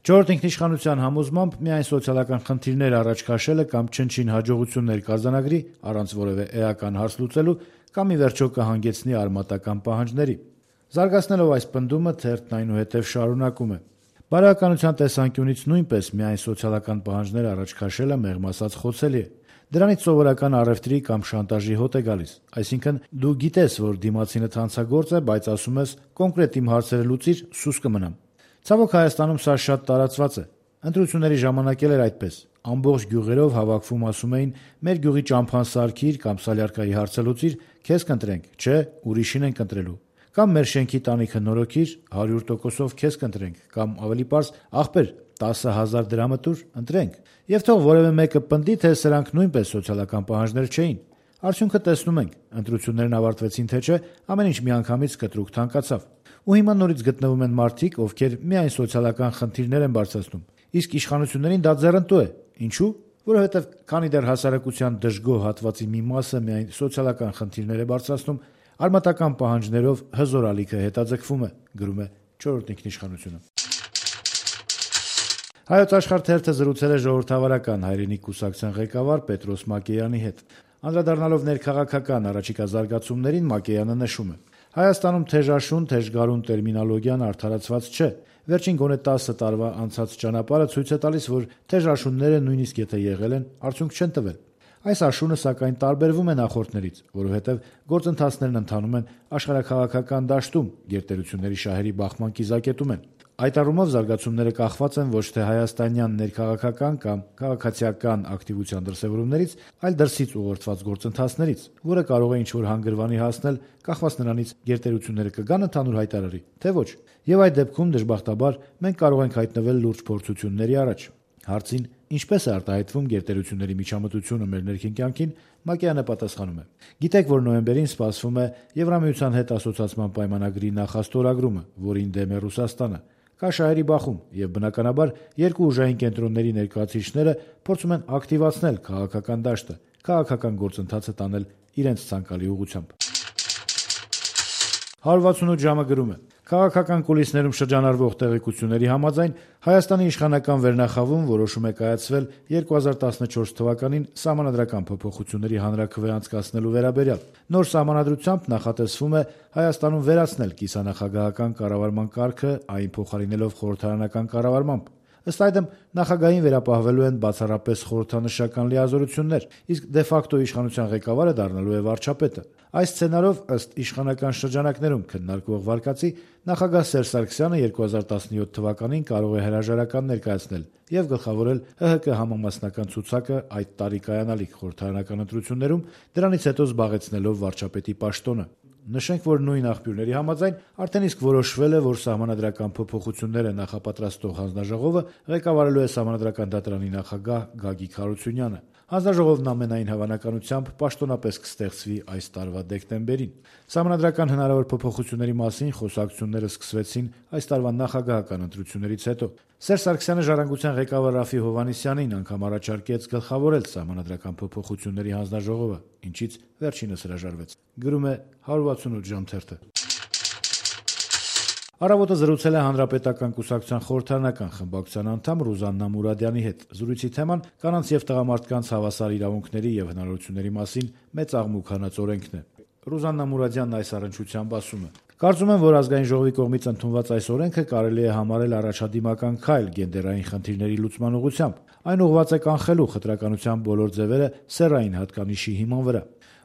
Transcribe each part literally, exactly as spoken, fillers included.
Չորրորդ ինքնիշխանության համոզմամբ միայն սոցիալական խնդիրներ առաջ քաշելը կամ չնչին հաջողություններ կարձանագրի առանց որևէ էական հարց լուծելու կամ ի վերջո կհանգեցնի արմատական պահանջների։ Զարգացնելով այս պնդումը թերթն այնուհետև շարունակում է. «Բարոյականության տեսանկյունից նույնպես միայն սոցիալական պահանջներ առաջ քաշելը մեղմ ասած խոցելի է։ Դրանից սովորական առևտրի կամ շանտաժի հոտ է գալիս, այսինքն դու գիտես, որ դիմացինդ հանցագործ է, բայց ասում ես կոնկրետ իմ հարցերը լուծիր, սուս կմնամ։ Ցավոք Հայաստանում սա շատ տարածված է։ Ընտրությունների ժամանակ էլ էր այդպես։ Ամբողջ գյուղերով հավաքվում ասում էին մեր գյուղի ճամփան սարքիր կամ Սալյարկայի հարցը լուծիր, քեզ կընտրենք, չէ, ուրիշին ենք ընտրելու։ Կամ մեր շենքի տանիքը նորոգիր, հարյուր տոկոսով քեզ կընտրենք, կամ ավելի պարզ, ախպեր, տասը հազար դրամը տուր, ընտրենք։ Եվ թող որևէ մեկը պնդի, թե սրանք նույնպես սոցիալական պահանջներ չէին։ Արդյունքը տեսնում ենք, ընտրություններն ավարտվեցին թե չէ, ամեն ինչ միանգամից կտրուկ թանկացավ։ Ու հիմա նորից գտնվում են մարդիկ, ովքեր միայն սոցիալական խնդիրներ են բարձրացնում, իսկ իշխանություններին դա ձեռնտու է։ Ինչու՞։ Որովհետև քանի դեռ հասարակության դժգոհ հատվածի մի մասը միայն սոցիալական խնդիրներ է բարձրացնում, արմատական պահանջներով հզոր ալիքը հետաձգվում է, գրում է չորրորդ ինքնիշխանությունը։ Հայոց Աշխարհ թերթը զրուցել է ժողովրդավարական հայրենիք կուսակցության ղեկավար Պետրոս Մակեյանի հետ։ Անդրադառնալով ներքաղաքական առաջիկա զարգացումներին, Մակեյանը նշում է. Հայաստանում թեժաշուն, թեժգարուն տերմինոլոգիան արդարացված չէ։ Վերջին գոնե տասը տարվա անցած ճանապարհը ցույց է տալիս, որ թեժաշունները նույնիսկ եթե եղել են, արդյունք չեն տվել։ Այս աշունը սակայն տարբերվում է նախորդներից, որովհետև գործընթացներն ընթանում են աշխարհաքաղաքական դաշտում, գերտերությունների շահերի բախման կիզակետում են։ Այդ առումով զարգացումները կախված են ոչ թե հայաստանյան ներքաղաքական կամ քաղաքացիական ակտիվության դրսևորումներից, այլ դրսից ուղղորդված գործընթացներից, որը կարող է ինչ-որ հանգրվանի հասնել, կախված նրանից գերտերությունները կգան ընդհանուր հայտարարի, թե ոչ։ Եվ այդ դեպքում դժբախտաբար մենք կարող ենք հայտնվել լուրջ փորձությունների առաջ։ Հարցին ինչպես է արտահայտվում գերտերությունների միջամտությունը մեր ներքին կյանքին, Մակեյանը պատասխանում է. Գիտեք, որ նոյեմբերին սպասվում է Եվրամիության հետ ասոցիացման պայմանագրի նախաստորագրումը, որին դեմ է Ռուսաստանը։ Կա շահերի բախում, եւ բնականաբար երկու ուժային կենտրոնների ներկայացուցիչները փորձում են ակտիվացնել քաղաքական դաշտը, քաղաքական գործընթացը տանել իրենց ցանկալի ուղղությամբ։ հարյուր վաթսունութ ժամը գրում է. Քաղաքական կուլիսներում շրջանառվող տեղեկությունների համաձայն Հայաստանի իշխանական վերնախավում որոշում է կայացվել երկու հազար տասնչորս թվականին սահմանադրական փոփոխությունների հանրաքվե անցկացնելու վերաբերյալ։ Նոր սահմանադրությամբ նախատեսվում է Հայաստանում վերացնել կիսանախագահական կառավարման կարգը, այն փոխարինելով խորհրդարանական կառավարմամբ։ Ըստ այդմ նախագահին վերապահվելու են բացառապես խորհրդանշական լիազորություններ, իսկ դե ֆակտո իշխանության ղեկավարը դառնալու է վարչապետը։ Այս սցենարով, ըստ իշխանական շրջանակներում քննարկվող վարկածի, նախագահ Սերժ Սարգսյանը երկու հազար տասնյոթ թվականին կարող է հրաժարական ներկայացնել եւ գլխավորել ՀՀԿ համամասնական ցուցակը այդ տարի կայանալիք խորհրդարանական ընտրություններում, դրանից հետո զբաղեցնելով վարչապետի պաշտոնը։ Նշենք, որ նույն աղբյուրների համաձայն արդեն իսկ որոշվել է, որ սահմանադրական փոփոխությունները նախապատրաստող հանձնաժողովը ղեկավարելու է Սահմանադրական դատարանի նախագահ Գագիկ Հարությունյանը։ Հանձնաժողովն ամենայն հավանականությամբ պաշտոնապես կստեղծվի այս տարվա դեկտեմբերին։ Սահմանադրական հնարավոր փոփոխությունների մասին խոսակցությունները սկսվեցին այս տարվա նախագահական ընտրություններից հետո։ Սերժ Սարգսյանը Ժառանգության ղեկավար Րաֆֆի Հովհաննիսյանին անգամ առաջարկեց գլխավորել Սահմանադրական փոփոխությունների հանձնաժողովը, ինչից վերջինս հրաժարվեց։ Գրում է հարյուր վաթսունութ ժամ թերթը։ Առավոտը զրուցել է Հանրապետական կուսակցության խորհրդարանական խմբակցության անդամ Ռուզաննա Մուրադյանի հետ։ Զրույցի թեման կանանց եւ տղամարդկանց հավասար իրավունքների եւ հնարավորությունների մասին մեծ աղմուկ հանած օրենքն է։ Ռուզաննա Մուրադյանն այս առնչությամբ ասում է. Կարծում եմ, որ ազգային ժողովի կողմից ընդունված այս օրենքը կարելի է համարել առաջադիմական քայլ գենդերային խնդիրների լուծման ուղղությամբ։ Այն ուղղված է կանխելու խտրականության բոլոր ձևերը սեռային հատկանիշի հիման վրա։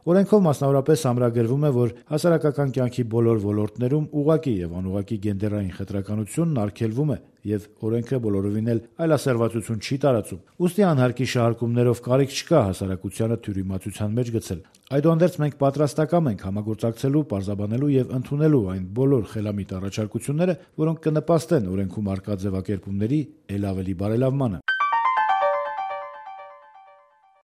Օրենքով մասնավորապես ամրագրվում է, որ հասարակական կյանքի բոլոր ոլորտներում ուղղակի եւ անուղղակի գենդերային խտրականությունն արգելվում է եւ օրենքը բոլորովին էլ այլասերվածություն չի տարածում։ Ուստի անհարկի շահարկումներով կարիք չկա հասարակությանը թյուրիմացության մեջ գցել։ Այդուհանդերձ մենք պատրաստակամ ենք համագործակցելու, պարզաբանելու եւ ընդունելու այն բոլոր խելամիտ առաջարկությունները, որոնք կնպաստեն օրենքում առկա ձևակերպումների ել ավելի բարելավմանը։